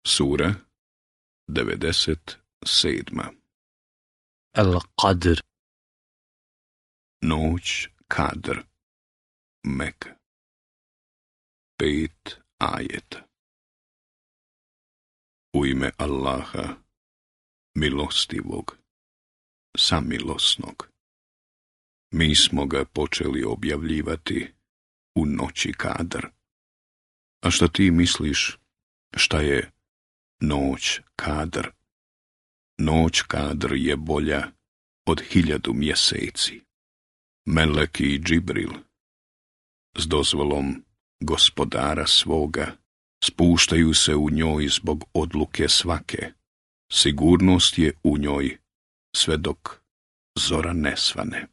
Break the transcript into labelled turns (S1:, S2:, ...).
S1: Sura 97.
S2: Al-Qadr.
S1: Noć Kadr. Mek. 5 ajeta. U ime Allaha, milostivog, samilosnog. Mi smo ga počeli objavljivati u noći Kadr. A šta ti misliš, šta je noć Kadr? Noć Kadr je bolja od 1000 mjeseci. Meleki i Džibril, s dozvolom gospodara svoga, spuštaju se u njoj zbog odluke svake. Sigurnost je u njoj sve dok zora ne svane.